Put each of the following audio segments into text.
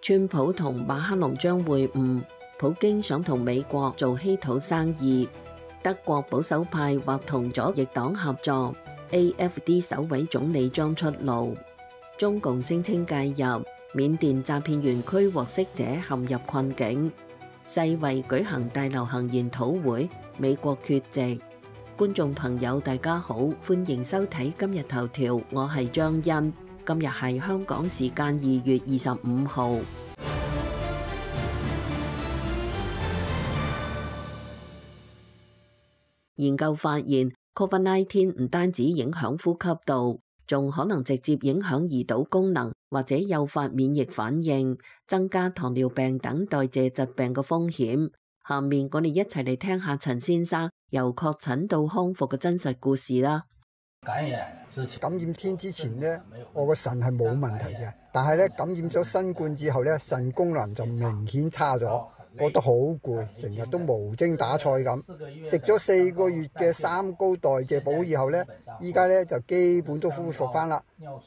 川普同馬克龍將會晤，普京想同美國做稀土生意。德國保守派或同左翼黨合作 ，AFD 首位總理將出爐。中共聲稱介入，緬甸詐騙園區獲釋者陷入困境。世衛舉行大流行研討會，美國缺席。觀眾朋友大家好，歡迎收睇今日頭條，我係張欣。今日係香港時間2月25號。研究發現 ，COVID-19 唔單止影響呼吸道，仲可能直接影響胰島功能，或者誘發免疫反應，增加糖尿病等代謝疾病嘅風險。下面我哋一齊嚟聽下陳先生由確診到康復嘅真實故事啦。感染天之前呢，我個腎係冇問題嘅，但係咧感染咗新冠之後咧，腎功能就明顯差咗，覺得好攰，成日都無精打采咁。食咗4個月嘅三高代謝補以後咧，依家咧就基本都恢復翻啦。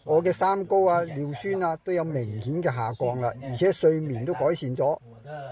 我嘅三高啊、尿酸啊都有明顯嘅下降啦，而且睡眠都改善咗。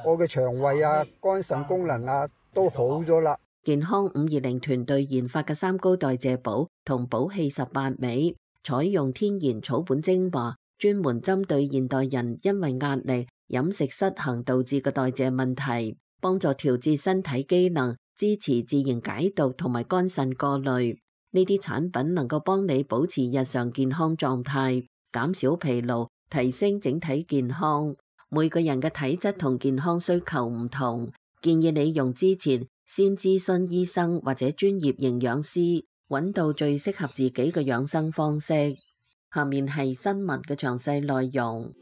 我嘅腸胃啊、肝腎功能啊都好咗啦。健康520團隊研發嘅三高代謝補同補氣18味，採用天然草本精華，專門針對現代人因為壓力、飲食失衡導致嘅代謝問題，幫助調節身體機能，支持自然解毒同埋肝腎過濾。呢啲產品能夠幫你保持日常健康狀態，減少疲勞，提升整體健康。每個人嘅體質同健康需求唔同，建議你用之前先諮詢醫生或者專業營養師，揾到最適合自己嘅養生方式。下面係新聞嘅詳細內容。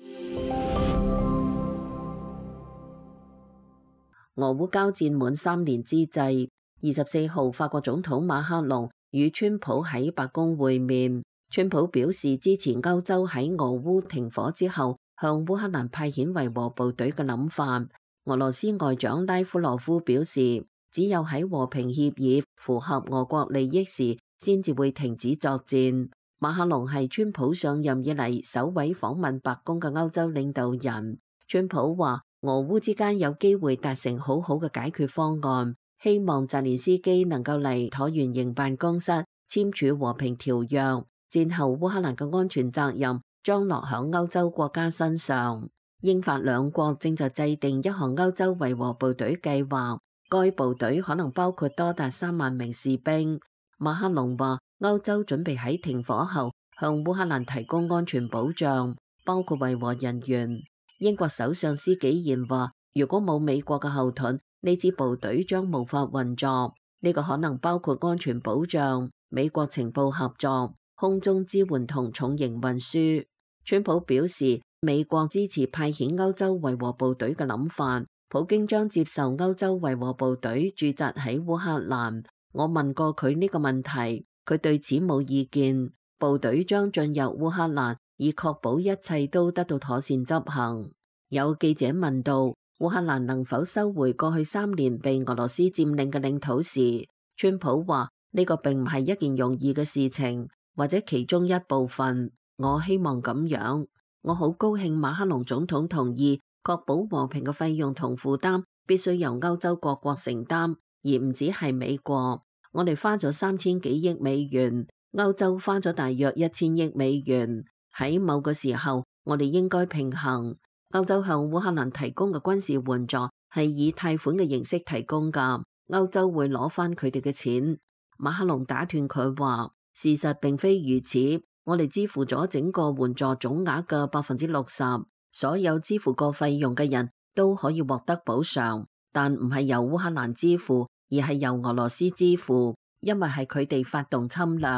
俄烏交戰滿3年之際，24號法國總統馬克龍與川普喺白宮會面。川普表示支持歐洲喺俄烏停火之後向烏克蘭派遣維和部隊嘅諗法。俄羅斯外長拉夫羅夫表示，只有喺和平協議符合俄國利益時，先至會停止作戰。馬克龍係川普上任以嚟首位訪問白宮嘅歐洲領導人。川普話，俄烏之間有機會達成好好嘅解決方案，希望澤連斯基能夠嚟橢圓形辦公室簽署和平條約。戰後烏克蘭嘅安全責任將落響歐洲國家身上。英法兩國正在制定一項歐洲維和部隊計劃。該部隊可能包括多達3萬名士兵。馬克龍話，歐洲準備喺停火後向烏克蘭提供安全保障，包括維和人員。英國首相施紀賢話，如果冇美國嘅後盾，呢支部隊將無法運作。呢個可能包括安全保障、美國情報合作、空中支援同重型運輸。川普表示，美國支持派遣歐洲維和部隊嘅諗法。普京將接受歐洲維和部隊駐紮喺烏克蘭。我問過佢呢個問題，佢對此冇意見。部隊將進入烏克蘭，以確保一切都得到妥善執行。有記者問到烏克蘭能否收回過去3年被俄羅斯佔領嘅領土時，川普話呢個並唔係一件容易嘅事情，或者其中一部分。我希望咁樣。我好高興馬克龍總統同意確保和平嘅費用同負擔必須由歐洲各國承擔，而唔只係美國。我哋花咗3000幾億美元，歐洲花咗大約1000億美元。喺某個時候，我哋應該平衡。歐洲向烏克蘭提供嘅軍事援助係以貸款嘅形式提供㗎，歐洲會攞返佢哋嘅錢。馬克龍打斷佢話，事實並非如此，我哋支付咗整個援助總額嘅60%。所有支付過費用嘅人都可以獲得補償，但唔係由烏克蘭支付，而係由俄羅斯支付，因為係佢哋發動侵略。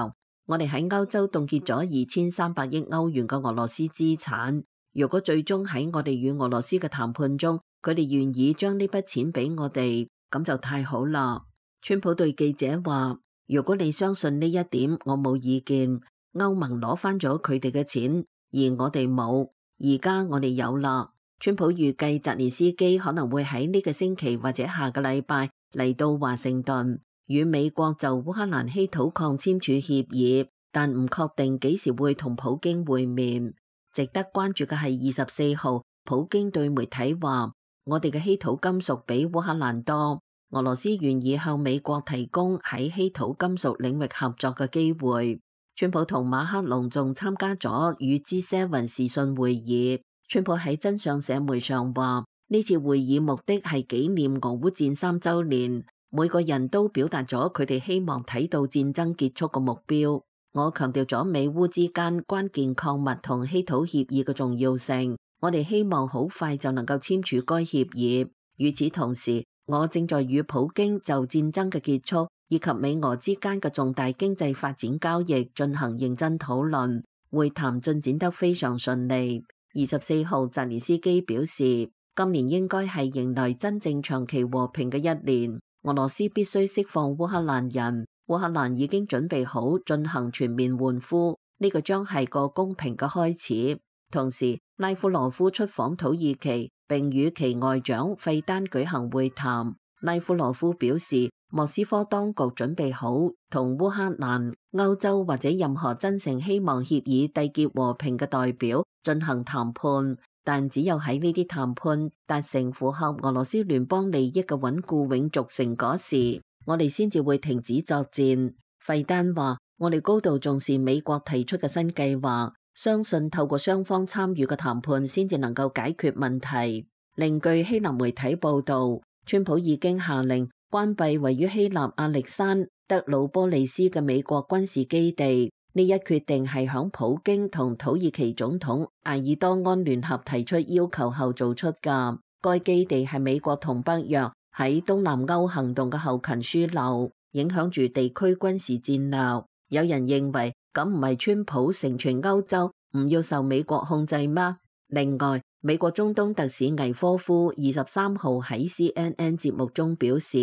我哋喺歐洲凍結咗2300億歐元嘅俄羅斯資產。如果最終喺我哋與俄羅斯嘅談判中，佢哋願意將呢筆錢俾我哋，咁就太好啦。川普對記者話，如果你相信呢一點，我冇意見。歐盟攞返咗佢哋嘅錢，而我哋冇。而家我哋有啦。川普預計澤連斯基可能會喺呢個星期或者下個禮拜嚟到華盛頓，與美國就烏克蘭稀土礦簽署協議，但唔確定幾時會同普京會面。值得關注嘅係24號普京對媒體話：我哋嘅稀土金屬比烏克蘭多，俄羅斯願意向美國提供喺稀土金屬領域合作嘅機會。川普同馬克龍仲參加咗與 G7 視訊會議。川普喺真相社媒上話：呢次會議目的係紀念俄烏戰3週年，每個人都表達咗佢哋希望睇到戰爭結束嘅目標。我強調咗美烏之間關鍵礦物同稀土協議嘅重要性，我哋希望好快就能夠簽署該協議。與此同時，我正在與普京就戰爭嘅結束以及美俄之間嘅重大經濟發展交易進行認真討論，會談進展得非常順利。24號，澤連斯基表示，今年應該係迎來真正長期和平嘅一年。俄羅斯必須釋放烏克蘭人，烏克蘭已經準備好進行全面換俘，呢個將係個公平嘅開始。同時，拉夫羅夫出訪土耳其，並與其外長費丹舉行會談。拉夫羅夫表示，莫斯科當局準備好同烏克蘭、歐洲或者任何真誠希望協議締結和平嘅代表進行談判，但只有喺呢啲談判達成符合俄羅斯聯邦利益嘅穩固永續成果時，我哋先至會停止作戰。費丹話：我哋高度重視美國提出嘅新計劃，相信透過雙方參與嘅談判先至能夠解決問題。另據希臘媒體報導，川普已經下令關閉位於希臘亞歷山德魯波利斯嘅美國軍事基地。呢一決定係響普京同土耳其總統埃爾多安聯合提出要求後做出㗎。該基地係美國同北約喺東南歐行動嘅後勤樞紐，影響住地區軍事戰略。有人認為咁唔係川普成全歐洲唔要受美國控制嗎？另外，美國中東特使魏科夫23號喺 CNN 節目中表示，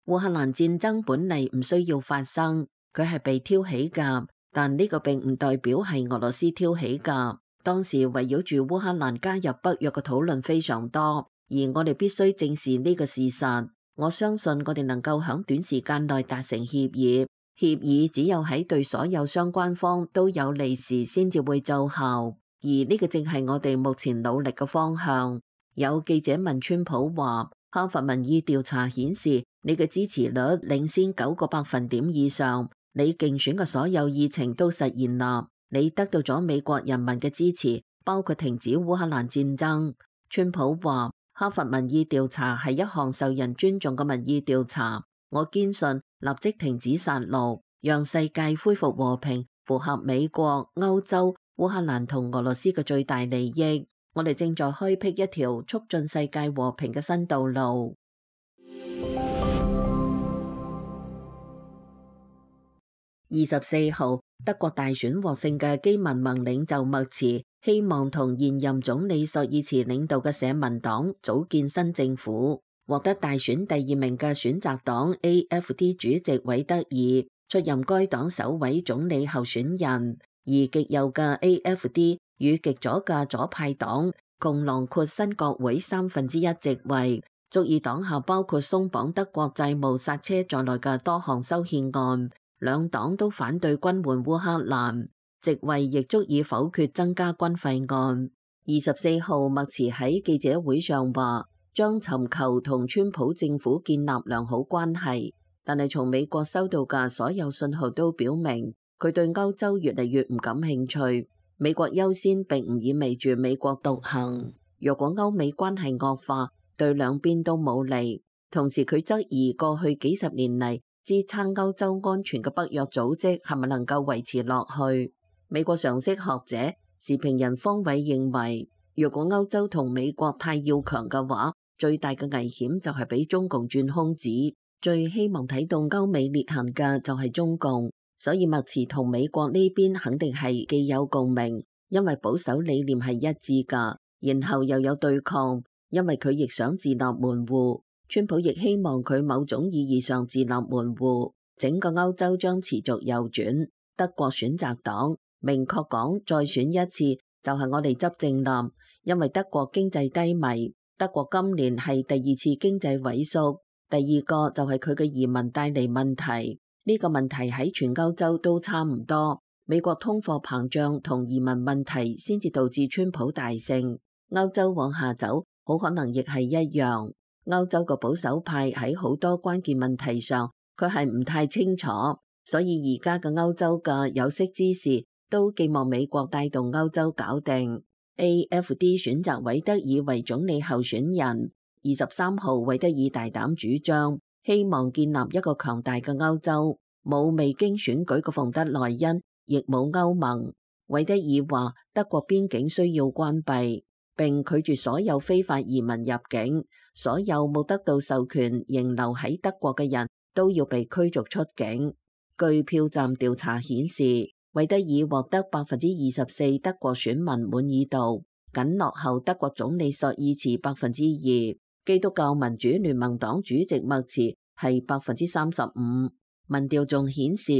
烏克蘭戰爭本嚟唔需要發生，佢係被挑起㗎。但呢個並唔代表係俄羅斯挑起㗎。當時圍繞住烏克蘭加入北約嘅討論非常多，而我哋必須正視呢個事實。我相信我哋能夠喺短時間內達成協議。協議只有喺對所有相關方都有利時先至會奏效，而呢個正係我哋目前努力嘅方向。有記者問川普話：哈佛民意調查顯示你嘅支持率領先9個百分點以上。你競選嘅所有議程都實現啦，你得到咗美國人民嘅支持，包括停止烏克蘭戰爭。川普話：哈佛民意調查係一項受人尊重嘅民意調查，我堅信立即停止殺戮，讓世界恢復和平，符合美國、歐洲、烏克蘭同俄羅斯嘅最大利益。我哋正在開闢一條促進世界和平嘅新道路。24號，德國大選獲勝嘅基民盟領袖默茨希望同現任總理朔爾茨領導嘅社民黨組建新政府。獲得大選第2名嘅選擇黨 AFD 主席韋德爾出任該黨首位總理候選人，而極右嘅 AFD 與極左嘅左派黨共囊括新國會1/3席位，足以擋下包括鬆綁德國債務剎車在內嘅多項修憲案。兩黨都反對軍援烏克蘭，席位亦足以否決增加軍費案。24號，默茨喺記者會上話，將尋求同川普政府建立良好關係，但係從美國收到嘅所有信號都表明，佢對歐洲越嚟越唔感興趣。美國優先並唔意味住美國獨行。若果歐美關係惡化，對兩邊都冇利。同時佢質疑過去幾十年嚟支撐歐洲安全嘅北約組織係咪能夠維持落去？美國常識學者、時評人方偉認為，如果歐洲同美國太要強嘅話，最大嘅危險就係俾中共轉空子。最希望睇到歐美裂痕嘅就係中共，所以默茨同美國呢邊肯定係既有共鳴，因為保守理念係一致㗎，然後又有對抗，因為佢亦想自立門戶。川普亦希望佢某種意義上自立門戶，整個歐洲將持續右轉。德國選擇黨明確講，再選一次就係我哋執政啦，因為德國經濟低迷，德國今年係第2次經濟萎縮，第二個就係佢嘅移民帶嚟問題。呢個問題喺全歐洲都差唔多，美國通貨膨脹同移民問題先至導致川普大勝。歐洲往下走，好可能亦係一樣。歐洲個保守派喺好多關鍵問題上，佢係唔太清楚，所以而家嘅歐洲嘅有識之士都寄望美國帶動歐洲搞定。AFD 選擇韋德爾為總理候選人。23號，韋德爾大膽主張，希望建立一個強大嘅歐洲，冇未經選舉嘅馮德萊恩，亦冇歐盟。韋德爾話德國邊境需要關閉，並拒絕所有非法移民入境，所有冇得到授權仍留喺德國嘅人都要被驅逐出境。據票站調查顯示，韋德爾獲得24%德國選民滿意度，僅落後德國總理朔爾茨2%。基督教民主聯盟黨主席默茨係35%。民調仲顯示，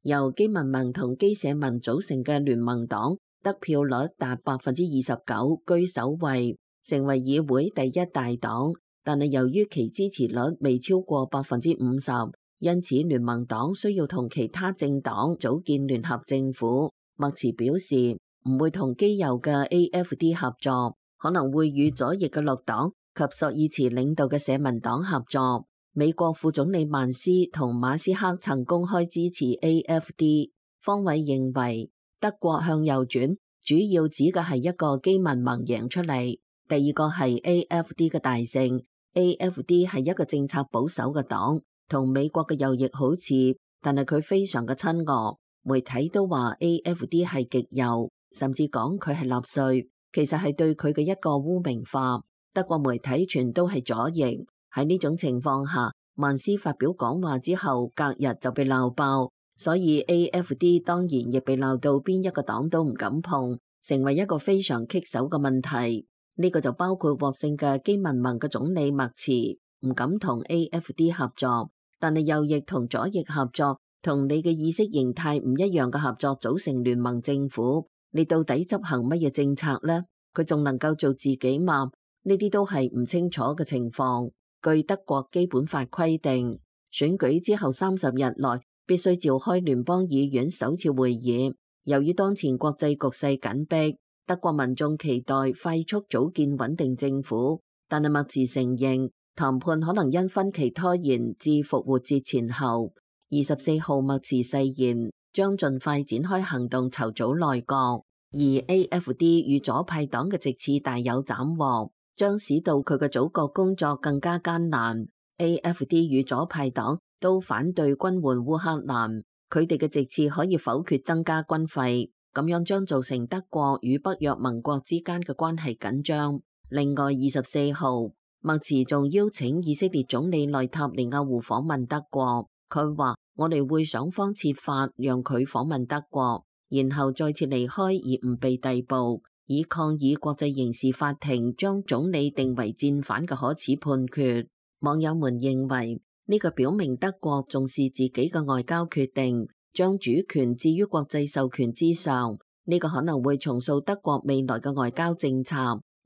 由基民盟同基社民組成嘅聯盟黨得票率達29%，居首位，成為議會第一大黨。但係由於其支持率未超過50%，因此聯盟黨需要同其他政黨組建聯合政府。默茨表示唔會同基右嘅 AFD 合作，可能會與左翼嘅綠黨及朔爾茨領導嘅社民黨合作。美國副總理曼斯同馬斯克曾公開支持 AFD。方偉認為德國向右轉主要指嘅係一個基民盟贏出嚟，第二個係 AFD 嘅大勝。AFD 係一個政策保守嘅黨，同美國嘅右翼好似，但係佢非常嘅親俄。媒體都話 AFD 係極右，甚至講佢係納粹，其實係對佢嘅一個污名化。德國媒體全都係左翼。喺呢種情況下，曼斯發表講話之後，隔日就被鬧爆，所以 AFD 當然亦被鬧到邊一個黨都唔敢碰，成為一個非常棘手嘅問題。呢個就包括獲勝嘅基民盟嘅總理默茨唔敢同 AFD 合作，但係右翼同左翼合作，同你嘅意識形態唔一樣嘅合作組成聯盟政府，你到底執行乜嘢政策呢？佢仲能夠做自己嘛？呢啲都係唔清楚嘅情況。據德國基本法規定，選舉之後30日內必須召開聯邦議院首次會議。由於當前國際局勢緊迫，德國民眾期待快速組建穩定政府，但係默茨承認談判可能因分歧拖延至復活節前後。24號，默茨誓言將盡快展開行動籌組內閣，而 AFD 與左派黨嘅席次大有斬獲，將使到佢嘅組閣工作更加艱難。AFD 與左派黨都反對軍援烏克蘭，佢哋嘅席次可以否決增加軍費，咁樣將造成德國與北約盟國之間嘅關係緊張。另外24號，默茨仲邀請以色列總理內塔尼亞胡訪問德國，佢話我哋會想方設法讓佢訪問德國，然後再次離開而唔被逮捕，以抗議國際刑事法庭將總理定為戰犯嘅可恥判決。網友們認為呢個表明德國重視自己嘅外交決定，將主權置於國際授權之上。呢個可能會重塑德國未來嘅外交政策。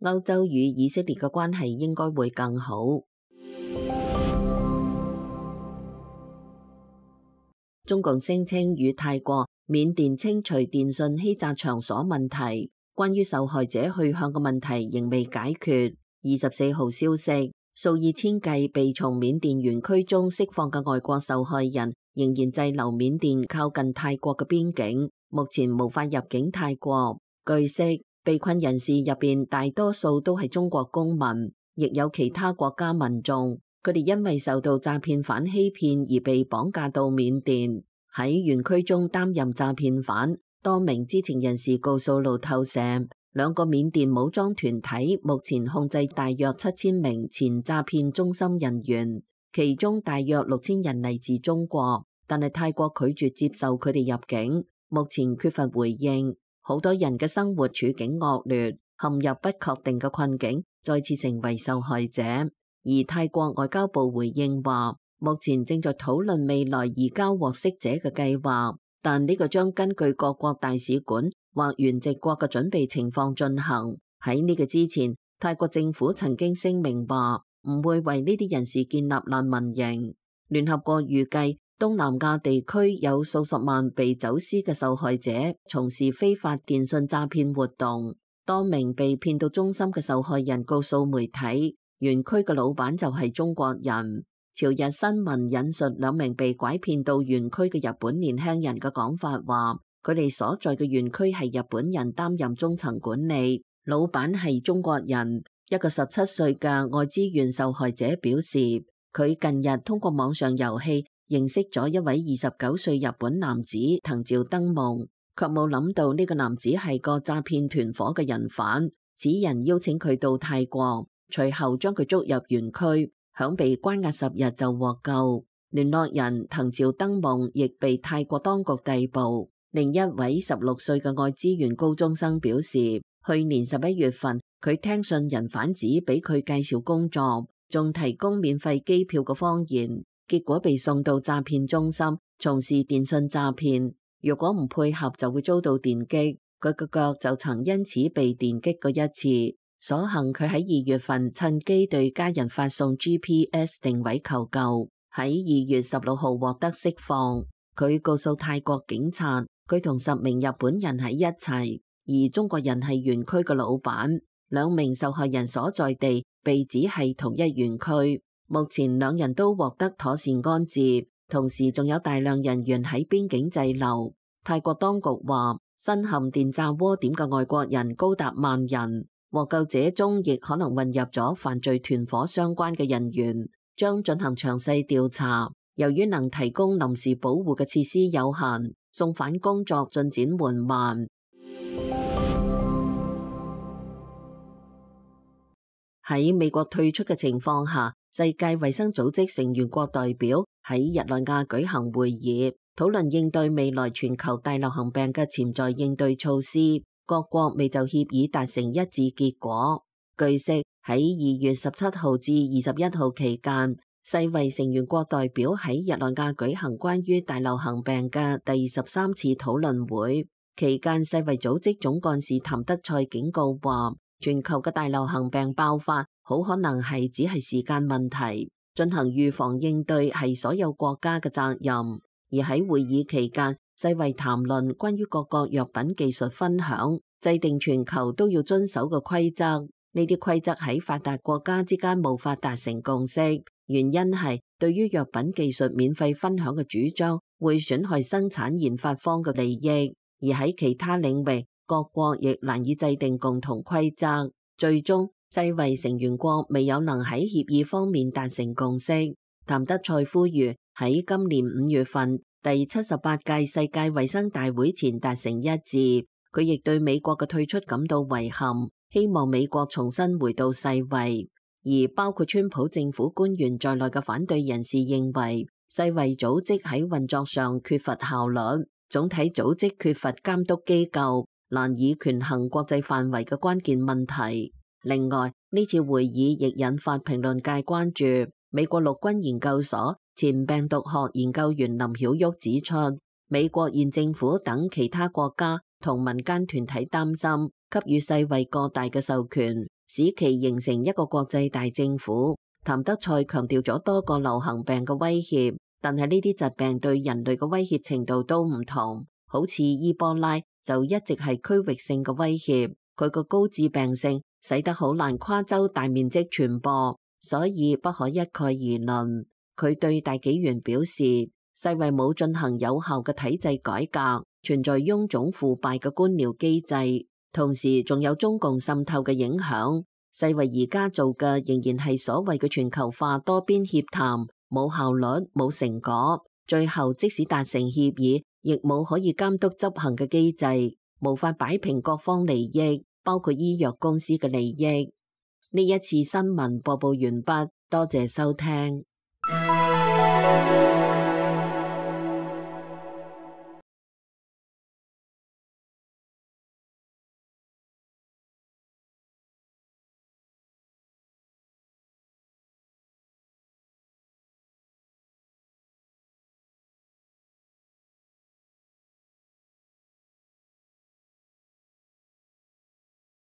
歐洲與以色列嘅關係應該會更好。中共聲稱與泰國、緬甸清除電信欺詐場所問題，關於受害者去向嘅問題仍未解決。24號消息，數以千計被從緬甸園區中釋放嘅外國受害人仍然滯留緬甸靠近泰國嘅邊境，目前無法入境泰國。據悉，被困人士入邊大多數都係中國公民，亦有其他國家民眾。佢哋因為受到詐騙犯欺騙而被綁架到緬甸，喺園區中擔任詐騙犯。多名知情人士告訴路透社，兩個緬甸武裝團體目前控制大約7000名前詐騙中心人員，其中大約6000人嚟自中國，但係泰國拒絕接受佢哋入境，目前缺乏回應。好多人嘅生活處境惡劣，陷入不確定嘅困境，再次成為受害者。而泰國外交部回應話，目前正在討論未來移交獲釋者嘅計劃，但呢個將根據各國大使館或原籍國嘅準備情況進行。喺呢個之前，泰國政府曾經聲明話唔會為呢啲人士建立難民營。聯合國預計東南亞地區有數十萬被走私嘅受害者從事非法電信詐騙活動。多名被騙到中心嘅受害人告訴媒體，園區嘅老闆就係中國人。朝日新聞引述兩名被拐騙到園區嘅日本年輕人嘅講法話，佢哋所在嘅園區係日本人擔任中層管理，老闆係中國人。一個17歲嘅愛知縣受害者表示，佢近日通過網上遊戲認識咗一位29歲日本男子藤沼登夢，卻冇諗到呢個男子係個詐騙團伙嘅人犯。此人邀請佢到泰國，隨後將佢捉入園區，響被關押10日就獲救。聯絡人藤沼登夢亦被泰國當局逮捕。另一位16歲嘅愛知縣高中生表示，去年11月份佢聽信人販子俾佢介紹工作，仲提供免費機票嘅謊言，結果被送到詐騙中心從事電信詐騙。如果唔配合就會遭到電擊，佢嘅腳就曾因此被電擊過一次。所幸佢喺2月份趁機對家人發送 GPS 定位求救，喺2月16號獲得釋放。佢告訴泰國警察，佢同10名日本人喺一齊，而中國人係園區嘅老闆。兩名受害人所在地被指係同一園區，目前兩人都獲得妥善安置，同時仲有大量人員喺邊境滯留。泰國當局話，身陷電詐窩點嘅外國人高達萬人，獲救者中亦可能混入咗犯罪團伙相關嘅人員，將進行詳細調查。由於能提供臨時保護嘅設施有限，送返工作進展緩慢。喺美國退出嘅情況下，世界衛生組織成員國代表喺日內瓦舉行會議，討論應對未來全球大流行病嘅潛在應對措施。各國未就協議達成一致結果。據悉，喺2月17號至21號期間，世衛成員國代表喺日內瓦舉行關於大流行病嘅第13次討論會。期間，世衛組織總幹事譚德塞警告話，全球嘅大流行病爆發好可能係只係時間問題，進行預防應對係所有國家嘅責任。而喺會議期間，世衛談論關於各國藥品技術分享，制定全球都要遵守嘅規則。呢啲規則喺發達國家之間無法達成共識，原因係對於藥品技術免費分享嘅主張會損害生產研發方嘅利益，而喺其他領域，各國亦難以制定共同規則。最終，世衛成員國未有能喺協議方面達成共識。譚德塞呼籲喺今年5月份第78屆世界衛生大會前達成一致。佢亦對美國嘅退出感到遺憾，希望美國重新回到世衛。而包括川普政府官員在內嘅反對人士認為，世衛組織喺運作上缺乏效率，總體組織缺乏監督機構，難以權衡國際範圍嘅關鍵問題。另外，呢次會議亦引發評論界關注。美國陸軍研究所前病毒學研究員林曉旭指出，美國現政府等其他國家同民間團體擔心給予世衛過大嘅授權，使其形成一個國際大政府。譚德塞強調咗多個流行病嘅威脅，但係呢啲疾病對人類嘅威脅程度都唔同。好似伊波拉就一直係區域性嘅威脅，佢個高致病性使得好難跨洲大面積傳播，所以不可一概而論。佢對大紀元表示，世衛冇進行有效嘅體制改革，存在臃腫腐敗嘅官僚機制，同時仲有中共滲透嘅影響。世衛而家做嘅仍然係所謂嘅全球化多邊協談，冇效率，冇成果，最後即使達成協議，亦冇可以監督執行嘅機制，無法擺平各方利益，包括醫藥公司嘅利益。呢一次新聞播報完畢，多謝收聽。